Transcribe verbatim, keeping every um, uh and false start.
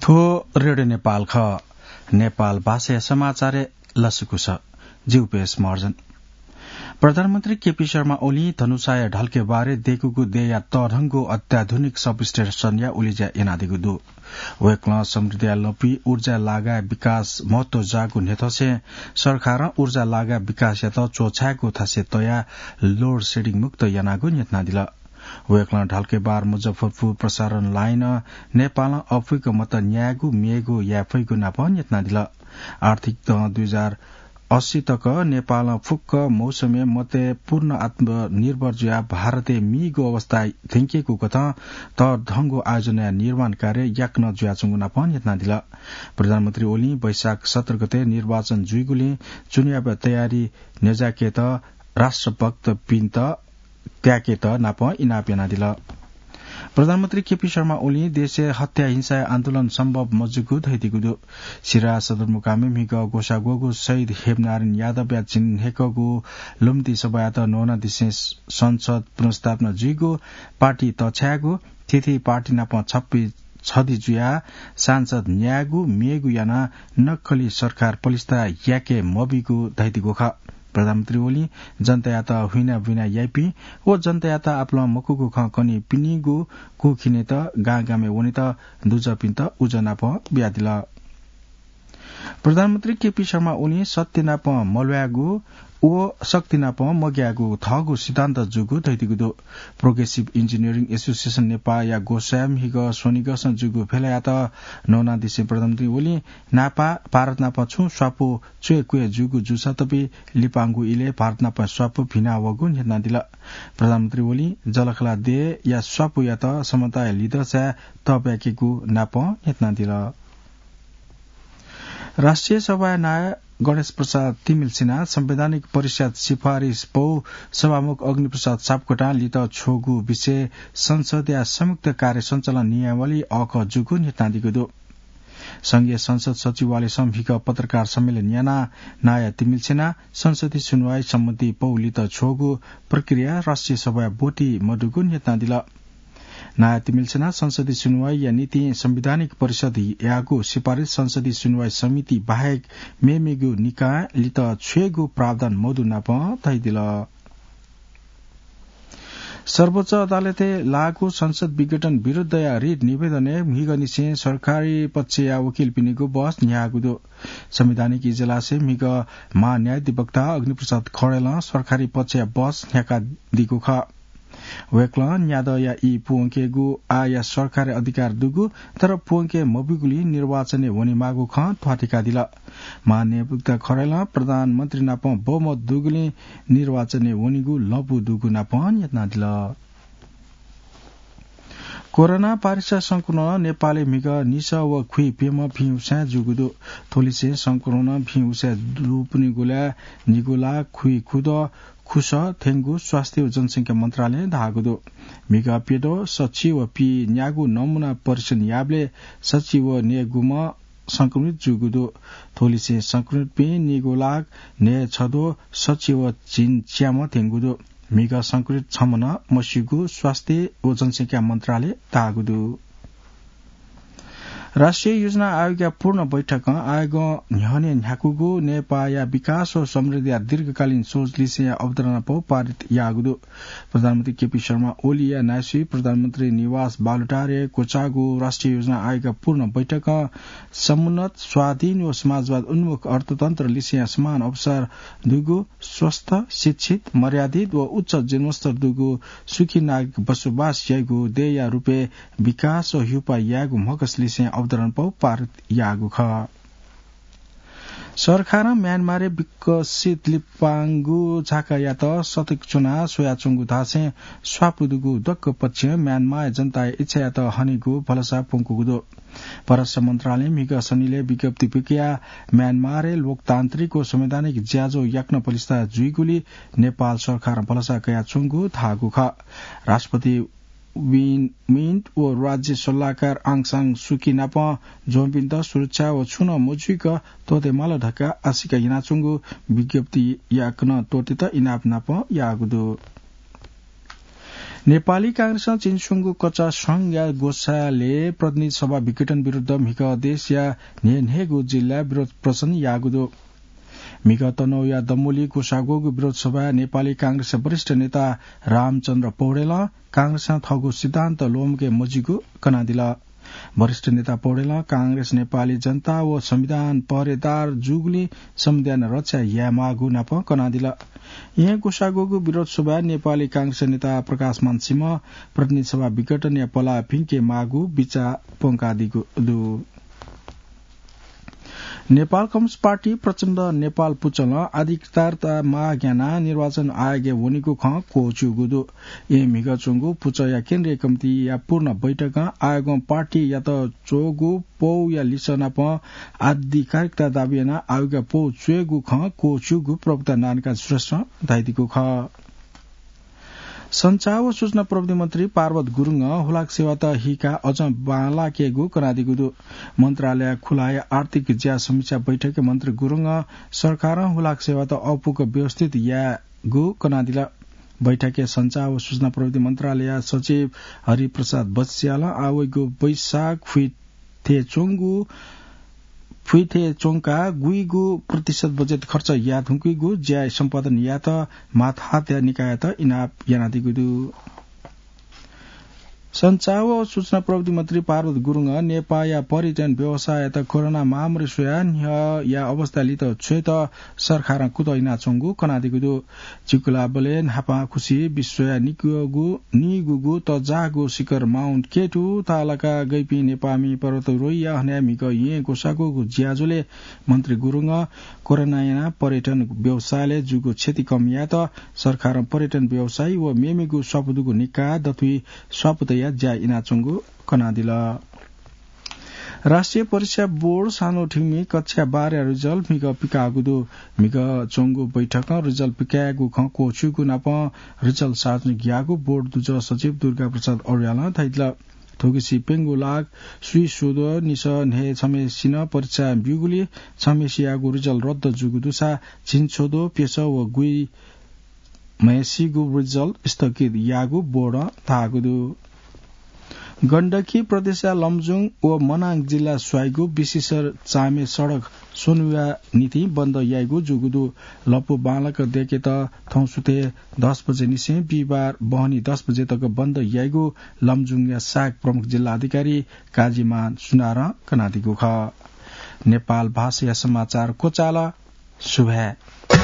थ्व रेडियो नेपाल खः। नेपाल भाषाया समाचारय् लसकुस। जि उपेश महर्जन। प्रधानमन्त्री केपी शर्मा ओलीं धनुषाया ढल्केबारय् दय्कूगु देय्या तःधंगु अत्याधुनिक सबस्टेशनया उलेज्या यानादीगु दु। वय्कलं समृद्धिया लँपुइ ऊर्जा लागाय् विकास महत्व जाःगु न्ह्यथंसें सरकारं ऊर्जा लागाय् विकासयात च्वछायेगु थासय् तयाः load shedding मुक्त यानागु न्ह्यथनादिल। वय्कलं ढल्केबार मुजफ्फरपुर प्रसारण लाइनं नेपालं अप्वइक मत न्यायेगु म्येगु याये फइगु नाप न्ह्यथनादिल। आर्थिक दँ दुई हजार अस्सी तक नेपालं फुक्क मौसमय् मतय् पूर्ण आत्मनिर्भर जुयाः भारतय् मीगु अवस्था थ्यंकेगु कथं तःधंगु आयोजनाया निर्माण कार्य याकनं जुयाच्वंगु नाप न्ह्यथनादिल। प्रधानमन्त्री ओलीं वैशाख सत्र गते निर्वाचन जुइगुलिं चुनावया तयारी न्ह्यज्याकेत राष्ट्रभक्तपिन्त त्याकेत नाप इनाप यानादिल। प्रधानमन्त्री केपी शर्मा ओलीं देशय् हत्या हिंसाया आन्दोलन सम्भव मजूगु धयादीगु दु। सिराहा सदरमुकामय् म्हिगः ग्वसाः ग्वःगु शहीद हेमनारायण यादवया झिंन्हय्कःगु लुमन्ति सभायात न्हूनादिसें संसद पुनर्स्थापना जुइगु, पार्टी तछायेगु, थीथी पार्टी नाप छप्पी छधी जुयाः सांसद न्यायेगु म्येगु यानाः नक्कली सरकार पलिस्था याके मबीगु धयादीगु खः। प्रधानमन्त्री ओलीं जनतायात हुइनाबुइना याइपिं व जनतायात आपालं मखुगु खँ कनीपिनिगु कू खिनेत गांगामय् वनेत दुजःपिन्त उजं नाप बियादिल। प्रधानमन्त्री केपी शर्मा ओलीं सत्य नाप मल्वायेगु व शक्ति नाप मग्यायेगु थःगु सिद्धान्त जूगु धयादीगु दु। Progressive Engineering Association नेपाःया ग्वसाःया म्हिगः स्वनिगःसं जूगु भेलायात न्हूनादिसें प्रधानमन्त्री ओलीं न्हापा भारत नाप छुं स्वापू च्वय् क्वय् जूगु जूसा तपि लिपांगु इलय् भारत नाप स्वापू भिना वःगु न्ह्यथनादिल। प्रधानमन्त्री ओलीं जःलाखःला देय्या स्वापूयात समताया लिधंसाय् तःब्याकेगु नाप न्ह्यथनादिल। राष्ट्रिय सभाया नायः गणेश प्रसाद तिमिल्सिनां संवैधानिक परिषद सिफारिस पौ सभामुख अग्निप्रसाद सापकोटां लित छ्वःगु विषय संसदया संयुक्त कार्य सञ्चालन नियमावली अःखः जूगु न्ह्यथनादीगु दु। संघीय संसद सचिवालयसं म्हिगः पत्रकार सम्मेलन यानाः नायः तिमिल्सिनां संसदीय सुनुवाई सम्बन्धी पौ लित छ्वःगु प्रक्रिया राष्ट्रिय सभाया ब्वति मदुगु न्ह्यथनादिल। नायः तिमिल्सिनां संसदीय सुनुवाईया निंतिं संवैधानिक परिषदयागु सिफारिस संसदीय सुनुवाई समिति बाहेक मेमेगु निकायं लित छ्वयेगु प्रावधान मदु नाप धयादिल। सर्वोच्च अदालतय् लाःगु संसद विघटन विरुद्धया रिट निवेदनय् म्हिगःनिसें सरकारी पक्षया वकिलपिनिगु बहस न्ह्याःगु दु। संवैधानिक इजलासय् म्हिगः महान्यायाधिवक्ता अग्निप्रसाद खड्गीलं सरकारी पक्षया बहस न्ह्याकादीगु खः। वय्कलं न्यादँया ई प्वंकेगु आःया सरकारी अधिकार दुगु, तर प्वंके मबीगुलिं निर्वाचनय् वनेमाःगु खँ ध्वाथुइकादिल। महान्यायाधिवक्ता खड्गीलं प्रधानमन्त्री नाप बहुमत दुगुलिं निर्वाचनय् वनेगु लँपु दुगु नाप न्ह्यथनादिल। कोरोना भाइरस संक्रमणं नेपालय् म्हिगः निसः व खुइ प्यम्ह भिं उसाँय् जूगु दु। थ्वलिसें संक्रमणं भिं उसाँय् दुपिनिगुलय् निगू लाख खुइ खुदँ खुसः थ्यंगु स्वास्थ्य व जनसंख्या मन्त्रालयं धाःगु दु। म्हिगः प्यद्वः सछि व पीन्यागू नमुना परीक्षण याःबलय् सछि व न्हय्गूम्ह संक्रमित जूगु दु। थ्वलिसें संक्रमितपिं निगू लाख न्हय्छद्वः सछि व झिंच्याम्ह थ्यंगु दु। म्हिगः संक्रमित छम्ह नं मस्यूगु स्वास्थ्य व जनसंख्या मन्त्रालयं धाःगु दु। राष्ट्रिय योजना आयोगया पूर्ण बैठकं आयोगं न्ह्यःने न्ह्याकूगु नेपाःया विकास व समृद्धिया दीर्घकालीन सोच लिसेंया अवधारणा पौ पारित याःगु दु। प्रधानमन्त्री केपी शर्मा ओलीया नायःसुइ प्रधानमन्त्री निवास बालुटारय् क्वचाःगु राष्ट्रिय योजना आयोगया पूर्ण बैठकं समुन्नत, स्वाधीन व समाजवाद उन्मुख अर्थतन्त्र लिसेंया समान अवसर दुगु, स्वस्थ, शिक्षित, मर्यादित व उच्च जीवनस्तर दुगु सुखी नागरिक बसोबास याइगु देय्या रूपय् विकास व हिउपाः यायेगु म्हगस लिसें अवधारणा पौ पारित याःगु खः। सरकारं म्यानमारय् विकसित लिपांगु झाकायात सतर्क च्वनाः स्वयाच्वंगु धासें स्वापू दुगु दक्व पक्षं म्यानमारया जनताया इच्छायात हनेगु भलसा प्वंकूगु दु। परराष्ट्र मन्त्रालयं म्हिगः सनिलय् विज्ञप्ति पिकयाः म्यानमारय् लोकतान्त्रिक व संवैधानिक ज्याझ्वः याकनं पलिस्था जुइगुली नेपाल सरकारं भलसा कयाच्वंगु धाःगु खः। राष्ट्रपति विन मिन्ट व राज्य सल्लाहकार आङ सान सुकी नाप ज्वंपिन्त सुरक्षा व छुं नं मजुइक त्वःते माल धकाः आशिका यानाच्वंगु विज्ञप्ति याकनं त्वःतेत इनाप नाप याःगु दु। नेपाली कांग्रेसं चिन्स्वंगु कचा संघया ग्वसालय् प्रतिनिधि सभा विघटन विरुद्ध म्हिगः देशया न्हय्न्हय्गु जिल्लाय् विरोध प्रदर्शन याःगु दु। म्हिगः तनहुँया दम्वली ग्वसाः ग्वःगु विरोध सभाय् नेपाली कांग्रेसया वरिष्ठ नेता रामचन्द्र पौडेलं कांग्रेसं थःगु सिद्धान्त ल्वःमके मजिगु कनादिल। वरिष्ठ नेता पौडेलं कांग्रेस नेपाली जनता व संविधान पहरेदार जूगुलिं संविधान रक्षा यायेमाःगु नाप कनादिल। येँ ग्वसाः ग्वःगु विरोध सभाय् नेपाली कांग्रेस नेता प्रकाशमान सिंह प्रतिनिधि सभा विघटनया पलाः फिंके माःगु बिचाः प्वंकादीगु दु। नेपाल कम्युनिस्ट पार्टी प्रचण्ड नेपाल पुचलं अधिकारता माग यानाः निर्वाचन आयोगय् वनेगु खँ क्वःछिउगु दु। येँ म्हिगः च्वंगु पुचःया केन्द्रीय कमिटीया पूर्ण बैठकं आयोगं पार्टीयात च्वःगु पौया लिसः नाप अधिकारिकता दाबी यानाः आयोगया पौ च्वयेगु खँ क्वःछिउगु प्रवक्ता नारायणकाजी श्रेष्ठं धयादीगु खः। सञ्चार व सूचना प्रविधि मन्त्री पार्वत गुरुङं हुलाक सेवात हीकाः अझ बांलाकेगु कनादीगु दु। मन्त्रालय खुलाया आर्थिक ज्या समीक्षा बैठकय् मन्त्री गुरुङं सरकारं हुलाक सेवात अःपुक व्यवस्थित यायेगु कनादिल। बैठकय् सञ्चार व सूचना प्रविधि मन्त्रालय सचिव हरिप्रसाद बस्यालं आः वइगु वैशाख फुइ थें च्वंगु, फुइ थें च्वंका गुइगु प्रतिशत बजेट खर्च याये धुंकूगु ज्या सम्पादन यायेत मातहतया निकाययात इनाप यानादीगु दु। सञ्चार व सूचना प्रविधि मन्त्री पार्वत गुरुङं नेपाःया पर्यटन व्यवसाययात कोरोना महामारी स्वयाः न्ह्यःया अवस्था लित छ्वयेत सरकारं कुतः यानाच्वंगु कनादीगु दु। चिकुलाबलय् न्हापांखुसी विश्वया निगूगु, निगूगु तःजाःगु शिखर माउन्ट केटू तालाका गइपिं नेपाःमि पर्वतारोहीया हनाय् म्हिगः येँ ग्वसाः ग्वःगु ज्याझ्वलय् मन्त्री गुरुङं कोरोनां यानाः पर्यटन व्यवसायलय् जूगु क्षति कम यायेत सरकारं पर्यटन व्यवसायी व मेमेगु स्वापू दुगु निकाः दथुइ स्वापू तयाः ज्या यानाच्वंगु कनादिल। राष्ट्रिय परीक्षा बोर्ड सानोठिमि कक्षा बाह्रया रिजल्ट म्हिगः पिकाःगु दु। म्हिगः च्वंगु बैठकं रिजल्ट पिकायेगु खँ क्वःछिउगु नापं रिजल्ट सार्वजनिक याःगु बोर्ड दुजः सचिव दुर्गाप्रसाद अर्यालं धयादिल। थुगुसी प्यंगू लाख स्वीस्वद्वः निसः न्हय् छम्हेसिनं परीक्षा ब्यूगुलिं छम्हेसियागु रिजल्ट रद्द जूगु दुसा झिंछद्वः प्यसः व गुइम्हेसिगु रिजल्ट स्थगित याःगु बोर्डं धाःगु दु। गण्डकी प्रदेशया लमजुङ व मनाङ जिल्ला स्वाइगु विशिष्ट चामे सडक स्वन्हुया निंतिं बन्द याइगु जूगु दु। लँपु बांलाक दय्केत थौं सुथय् दस बजे निसें बिहिबार बहनी दस बजे तक बन्द याइगु लमजुङया सहायक प्रमुख जिल्ला अधिकारी काजीमान सुनारं कनादीगु खः। नेपाल भाषाया समाचार क्वचाल। सुभाय्।